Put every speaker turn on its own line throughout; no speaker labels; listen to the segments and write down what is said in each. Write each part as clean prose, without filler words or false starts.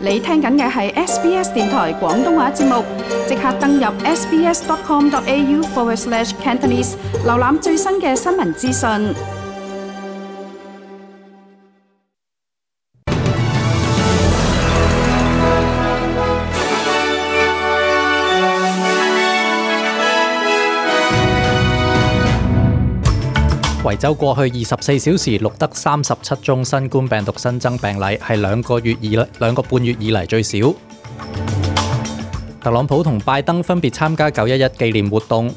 你聽緊嘅係 SBS 電台廣東話節目，即刻登入 sbs.com.au/cantonese 瀏覽最新嘅新聞資訊。
維州過去24小時錄得37宗新冠病毒新增病例，係兩個半月以嚟最少。特朗普同拜登分別參加911紀念活動。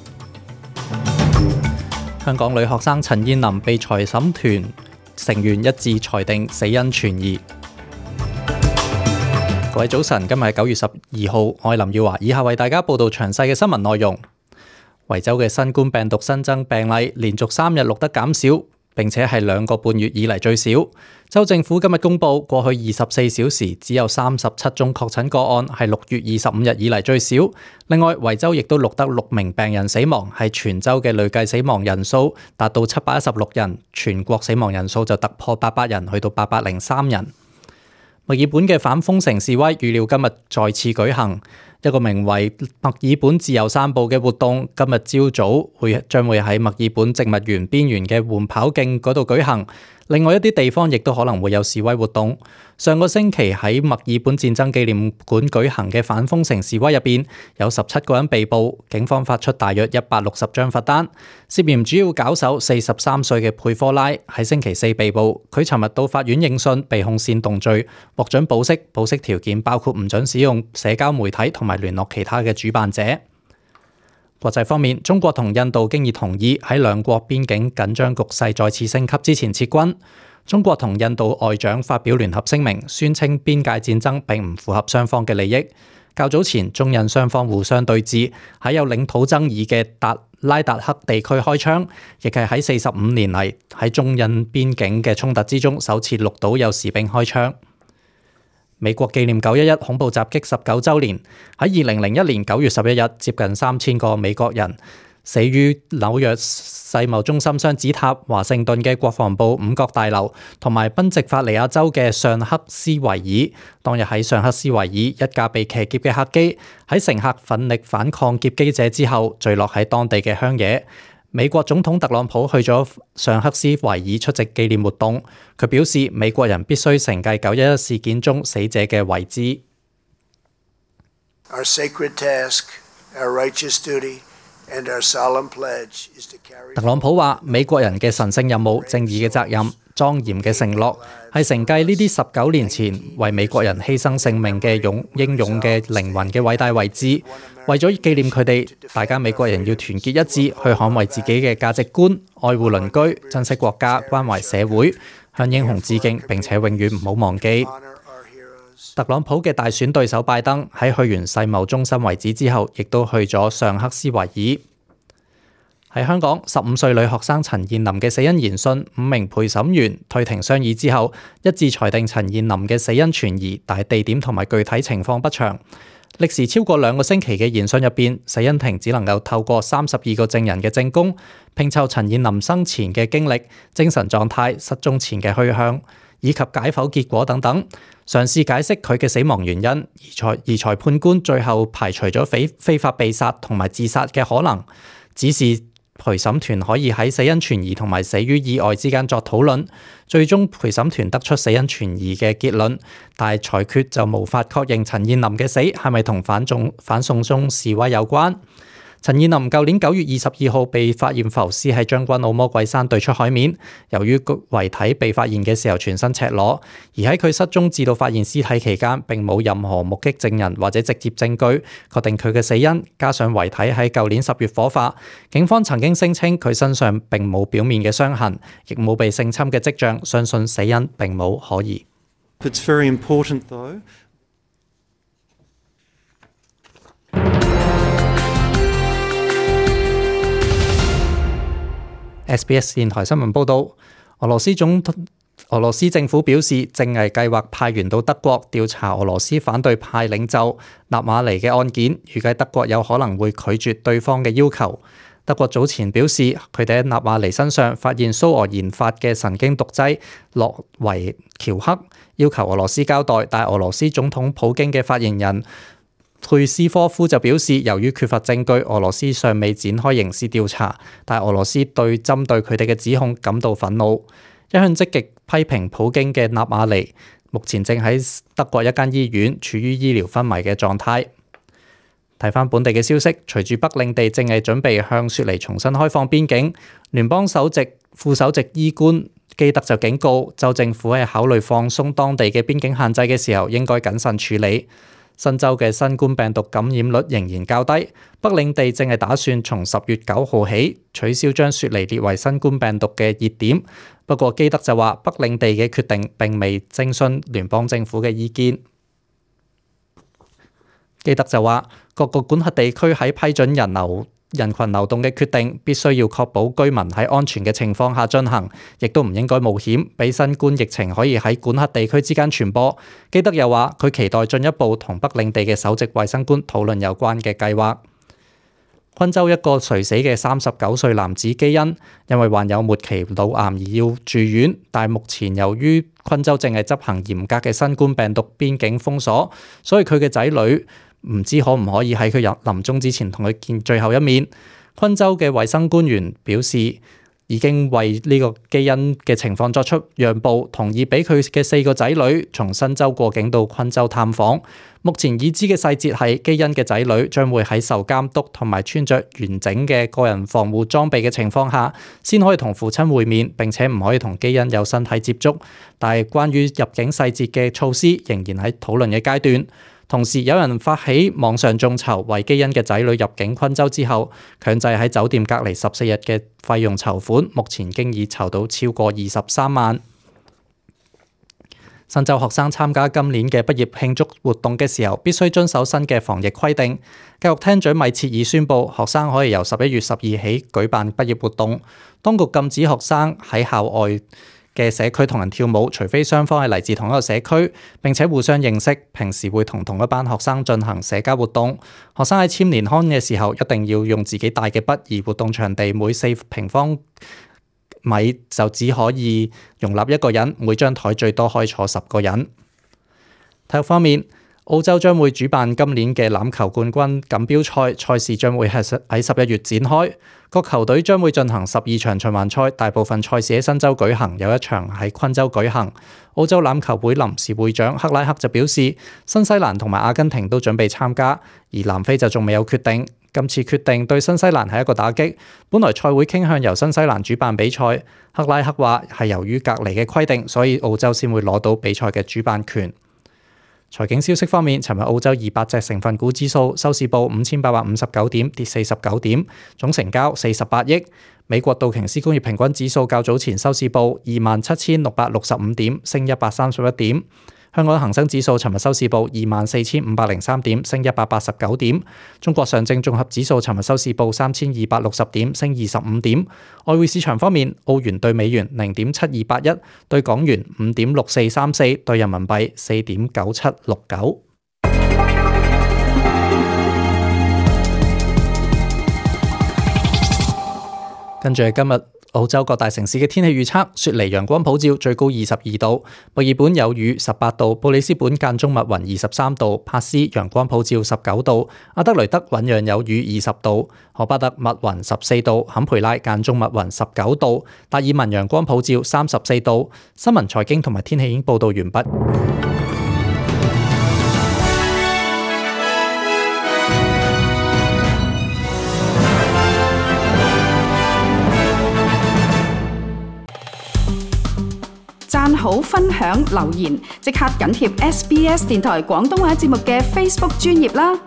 香港女學生陳彥霖被財審團成員一致裁定死因存疑。各位早晨，今日係9月12號，我係林耀華，以下為大家報道詳細嘅新聞內容。維州嘅新冠病毒新增病例連續3日錄得減少，並且係兩個半月以嚟最少。州政府今日公布，過去24小時只有37宗確診個案，係6月25日以嚟最少。另外，維州亦都錄得6名病人死亡，係全州嘅累計死亡人數達到716人，全國死亡人數就突破800人，去到803人。墨爾本嘅反封城示威預料今日再次舉行。一個名為墨爾本自由散步嘅活動，今日朝早將會喺墨爾本植物園邊緣嘅緩跑徑嗰度舉行。另外一啲地方亦都可能會有示威活動。上個星期喺墨爾本戰爭紀念館舉行嘅反封城示威入邊，有17個人被捕，警方發出大約160張罰單。涉嫌主要搞手43歲嘅佩科拉喺星期四被捕，佢尋日到法院應訊，被控煽動罪，獲准保釋。保釋條件包括唔准使用社交媒體同埋聯絡其他嘅主辦者。國際方面，中國同印度經已同意喺兩國邊境緊張局勢再次升級之前撤軍。中國同印度外長發表聯合聲明，宣稱邊界戰爭並唔符合雙方嘅利益。較早前，中印雙方互相對峙，喺有領土爭議嘅拉達克地區開槍，亦係喺45年嚟喺中印邊境嘅衝突之中首次錄到有士兵開槍。美國紀念911恐怖襲擊19週年，喺2001年9月11日，接近3000個美國人死於紐約世貿中心雙子塔、華盛頓嘅國防部五角大樓同埋賓夕法尼亞州嘅尚克斯維爾。當日喺尚克斯維爾，一架被騎劫嘅客機喺乘客奮力反抗劫機者之後，墜落喺當地嘅鄉野。美國總統特朗普去咗尚克斯維爾出席紀念活動，佢表示美國人必須承繼911事件中死者嘅遺志。
Our sacred task, our righteous duty, and our solemn pledge is to carry.
特朗普話：美國人嘅神聖任務、正義嘅責任、莊嚴嘅承諾，係承繼呢啲19年前為美國人犧牲性命嘅英勇嘅靈魂嘅偉大遺志。為咗紀念佢哋，大家美國人要團結一致，去捍衛自己嘅價值觀，愛護鄰居，珍惜國家，關懷社會，向英雄致敬，並且永遠唔好忘記。特朗普嘅大選對手拜登喺去完世貿中心遺址之後，亦都去咗尚克斯維爾。喺香港，15歲女學生陳彥霖嘅死因研訊，5名陪審員退庭商議之後，一致裁定陳彥霖嘅死因存疑，但係地點同埋具體情況不詳。歷時超過2個星期嘅研訊入邊，死因庭只能夠透過32個證人嘅證供，拼湊陳彥霖生前嘅經歷、精神狀態、失蹤前嘅去向，以及解剖結果等等，嘗試解釋佢嘅死亡原因。而裁判官最後排除咗非法被殺同埋自殺嘅可能，指示陪審團可以喺死因存疑同埋死於意外之間作討論。最終陪審團得出死因存疑嘅結論，但係裁決就無法確認陳彥霖嘅死係咪同反送中示威有關。陳彥霖舊年9月22號被發現浮屍喺將軍澳魔鬼山對出海面，由於遺體被發現嘅時候全身赤裸，而喺佢失蹤至到發現屍體期間並冇任何目擊證人或者直接證據確定佢嘅死因，加上遺體喺舊年10月火化，警方曾經聲稱佢身上並冇表面嘅傷痕，亦冇被性侵嘅跡象，相信死因並冇可疑。
It's very important though.
SBS 電台新聞報導，俄羅斯政府表示正係計劃派員到德國調查俄羅斯反對派領袖納瓦尼嘅案件，預計德國有可能會拒絕對方嘅要求。德國早前表示，佢哋喺納瓦尼身上發現蘇俄研發嘅神經毒劑諾維喬克，要求俄羅斯交代，但俄羅斯總統普京嘅發言人佩斯科夫就表示，由於缺乏證據，俄羅斯尚未展開刑事調查，但俄羅斯對針對佢哋嘅指控感到憤怒。一向積極批評普京嘅納瓦尼，目前正喺德國一間醫院處於醫療昏迷嘅狀態。睇返本地嘅消息，隨住北領地正係準備向雪梨重新開放邊境，聯邦副首席醫官基德就警告，州政府喺考慮放鬆當地嘅邊境限制嘅時候，應該謹慎處理。新州嘅新冠病毒感染率仍然較低，北領地正係打算從10月9號起取消將雪梨列為新冠病毒嘅熱點。不過基德就話，北領地嘅決定並未徵詢聯邦政府嘅意見。基德就話，各個管轄地區喺批准人群流動嘅決定，必須要確保居民喺安全嘅情況下進行，亦都唔應該冒險，俾新冠疫情可以喺管轄地區之間傳播。基德又話，佢期待進一步同北領地嘅首席衛生官討論有關嘅計劃。昆州一個垂死嘅39歲男子基恩，因為患有末期腦癌而要住院，但目前由於昆州正係執行嚴格嘅新冠病毒邊境封鎖，所以佢嘅仔女唔知可唔可以喺佢臨終之前同佢見最後一面。昆州嘅衛生官員表示，已經為呢個基恩嘅情況作出讓步，同意俾佢嘅4個仔女從新州過境到昆州探訪。目前已知嘅細節係，基恩嘅仔女將會喺受監督同埋穿着完整嘅個人防護裝備嘅情況下，先可以同父親會面，並且唔可以同基恩有身體接觸。但係關於入境細節嘅措施仍然喺討論嘅階段。同時有人發起網上眾籌，為基恩嘅仔女入境昆州之後強制喺酒店隔離14日嘅費用籌款，目前經已籌到超過23萬。新州學生參加今年嘅畢業慶祝活動嘅時候，必須遵守新嘅防疫規定。教育廳長米切爾宣布，學生可以由11月12起舉辦畢業活動。當局禁止學生喺校外嘅社區同人跳舞，除非雙方係嚟自同一個社區，並且互相認識，平時會同一班學生進行社交活動。學生喺簽年刊嘅時候，一定要用自己帶嘅筆，而活動場地每4平方米就只可以容納1個人，每張台最多可以坐10個人。體育方面，澳洲將會主辦今年嘅欖球冠軍錦標賽，賽事將會喺11月展開。各球隊將會進行12場循環賽，大部分賽事喺新州舉行，有一場喺昆州舉行。澳洲欖球會臨時會長克拉克就表示，新西蘭同埋阿根廷都準備參加，而南非就仲未有決定。今次決定對新西蘭係一個打擊，本來賽會傾向由新西蘭主辦比賽。克拉克話係由於隔離嘅規定，所以澳洲先會攞到比賽嘅主辦權。財經消息方面，尋日澳洲200隻成分股指數收市報5859點，跌49點，總成交48億。美國道瓊斯工業平均指數較早前收市報27665點，升131點。香港恒生指數尋日收市報24503點，升189點。中國上證綜合指數尋日收市報3260點，升25點。外匯市場方面，澳元對美元0.7281，對港元5.6434，對人民幣4.9769。跟住係今日澳洲各大城市嘅天氣預測：雪梨陽光普照，最高22度；墨爾本有雨18度；布里斯本間中密雲23度；珀斯陽光普照19度；阿德雷德醞釀有雨20度；荷巴特密雲14度；坎培拉間中密雲19度；達爾文陽光普照34度。新聞財經同埋天氣已經報道完畢。
讚好、分享、留言，即刻緊貼SBS 電台廣東話節目嘅 Facebook 專頁啦！